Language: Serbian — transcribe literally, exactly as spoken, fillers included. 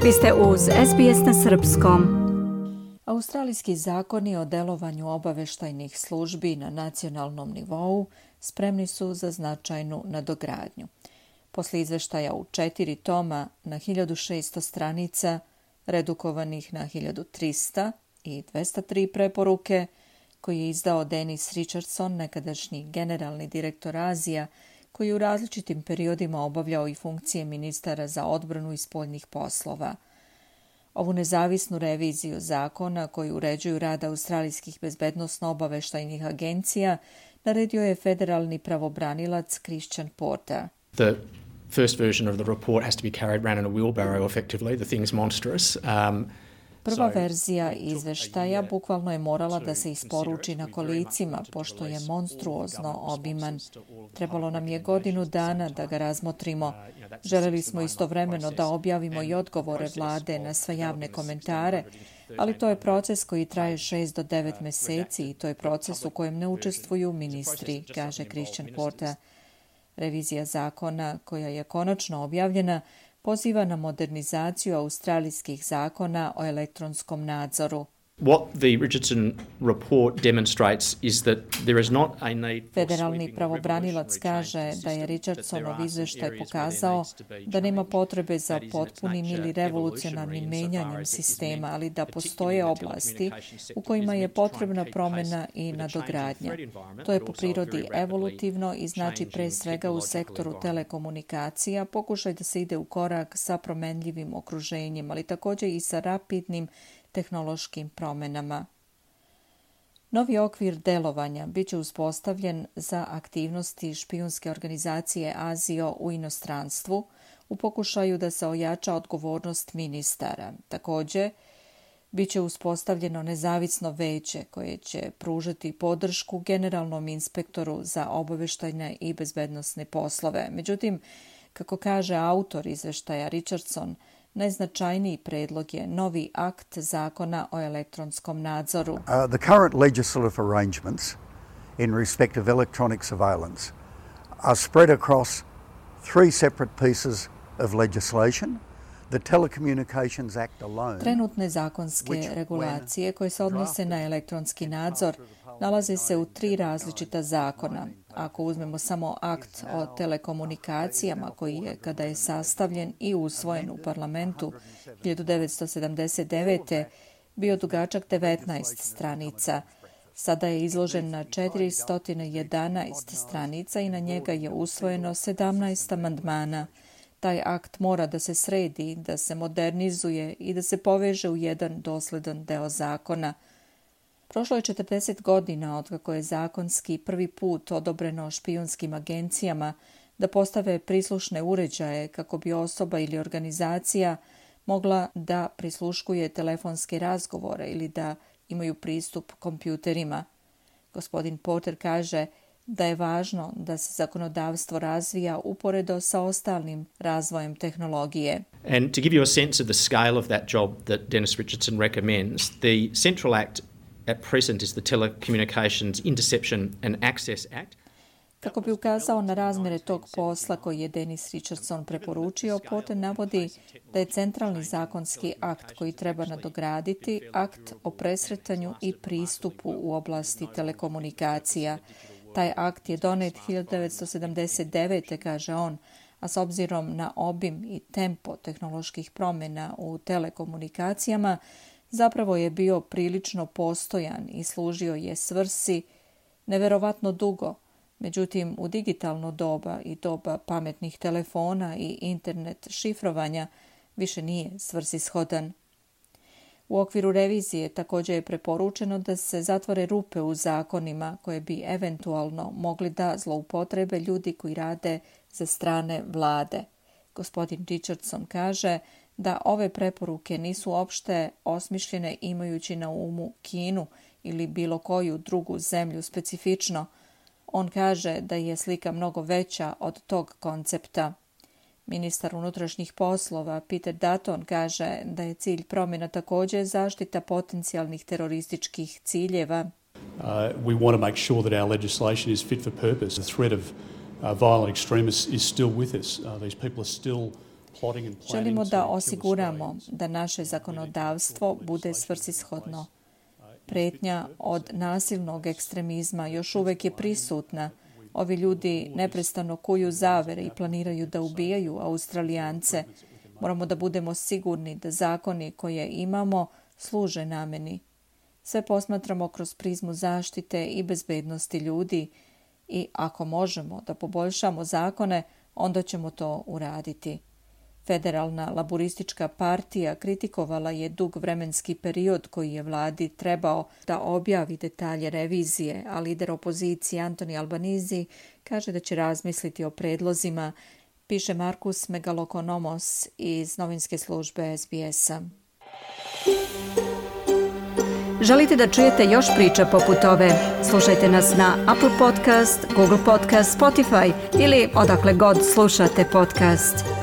Vi ste uz S B S na srpskom. Australijski zakoni o delovanju obaveštajnih službi na nacionalnom nivou spremni su za značajnu nadogradnju. Posle izveštaja u četiri toma na hiljadu šesto stranica, redukovanih na hiljadu trista i dvesta tri preporuke, koji je izdao Dennis Richardson, nekadašnji generalni direktor Azija, koji je u različitim periodima obavljao i funkcije ministara za odbranu i spoljnih poslova. Ovu nezavisnu reviziju zakona koji uređuju rad australijskih bezbednosno-obaveštajnih agencija naredio je federalni pravobranilac Christian Porter. The first version of the report has to be carried around in a wheelbarrow effectively. The thing's monstrous. Um, Prva verzija izveštaja bukvalno je morala da se isporuči na kolicima, pošto je monstruozno obiman. Trebalo nam je godinu dana da ga razmotrimo. Želeli smo istovremeno da objavimo i odgovore vlade na sve javne komentare, ali to je proces koji traje šest do devet meseci i to je proces u kojem ne učestvuju ministri, kaže Christian Porter. Revizija zakona, koja je konačno objavljena, poziva na modernizaciju australijskih zakona o elektronskom nadzoru. What the Richardson report demonstrates is that there is not a need for Federalni pravobranilac kaže da je Richardsonov izveštaj pokazao da nema potrebe za potpunim ili revolucionarnim menjanjem sistema, ali da postoje oblasti u kojima je potrebna promjena i nadogradnja. To je po prirodi evolutivno i znači pre svega u sektoru telekomunikacija pokušaj da se ide u korak sa promenljivim okruženjem, ali također i sa rapidnim tehnološkim promjenama. Novi okvir delovanja bit će uspostavljen za aktivnosti špijunske organizacije Azio u inostranstvu u pokušaju da se ojača odgovornost ministara. Također, bit će uspostavljeno nezavisno veće koje će pružati podršku generalnom inspektoru za obaveštajne i bezbednosne poslove. Međutim, kako kaže autor izveštaja Richardson, najznačajniji predlog je novi akt zakona o elektronskom nadzoru. Uh, the current legislative arrangements in respect of electronic surveillance are spread across three separate pieces of legislation. The Telecommunications Act alone. Trenutne zakonske regulacije koje se odnose na elektronski nadzor nalaze se u tri različita zakona. Ako uzmemo samo akt o telekomunikacijama koji je, kada je sastavljen i usvojen u parlamentu hiljadu devetsto sedamdeset devete bio dugačak devetnaest stranica, sada je izložen na četiristo jedanaest stranica i na njega je usvojeno sedamnaest amandmana. Taj akt mora da se sredi, da se modernizuje i da se poveže u jedan dosledan deo zakona. Prošlo je četrdeset godina od kako je zakonski prvi put odobreno špijunskim agencijama da postave prislušne uređaje kako bi osoba ili organizacija mogla da prisluškuje telefonske razgovore ili da imaju pristup kompjuterima. Gospodin Porter kaže da je važno da se zakonodavstvo razvija uporedo sa ostalim razvojem tehnologije. And to give you a sense of the scale of that job that Dennis Richardson recommends, the Central Act at present is the Telecommunications Interception and Access Act. Kako bi ukazao na razmere tog posla koji je Dennis Richardson preporučio, Porter navodi da je centralni zakonski akt koji treba nadograditi akt o presretanju i pristupu u oblasti telekomunikacija. Taj akt je donet hiljadu devetsto sedamdeset devete, kaže on, a s obzirom na obim i tempo tehnoloških promjena u telekomunikacijama, zapravo je bio prilično postojan i služio je svrsi neverovatno dugo. Međutim, u digitalno doba i doba pametnih telefona i internet šifrovanja više nije svrsishodan. U okviru revizije također je preporučeno da se zatvore rupe u zakonima koje bi eventualno mogli da zloupotrebe ljudi koji rade za strane vlade. Gospodin Richardson kaže da ove preporuke nisu opšte osmišljene imajući na umu Kinu ili bilo koju drugu zemlju specifično. On kaže da je slika mnogo veća od tog koncepta. Ministar unutrašnjih poslova Peter Dutton kaže da je cilj promjena također zaštita potencijalnih terorističkih ciljeva. Uh, we want to make sure that our legislation is fit for purpose. The threat of uh, violent extremists is still with us. Uh, these people are still Želimo da osiguramo da naše zakonodavstvo bude svrsishodno. Pretnja od nasilnog ekstremizma još uvek je prisutna. Ovi ljudi neprestano kuju zavere i planiraju da ubijaju Australijance. Moramo da budemo sigurni da zakoni koje imamo služe nameni. Sve posmatramo kroz prizmu zaštite i bezbednosti ljudi i ako možemo da poboljšamo zakone, onda ćemo to uraditi. Federalna laboristička partija kritikovala je dug vremenski period koji je vladi trebao da objavi detalje revizije, a lider opozicije Anthony Albanese kaže da će razmisliti o predlozima, piše Markus Megalokonomos iz novinske službe S B S-a. Želite da čujete još priča poput ove? Slušajte nas na Apple Podcast, Google Podcast, Spotify ili odakle god slušate podcast.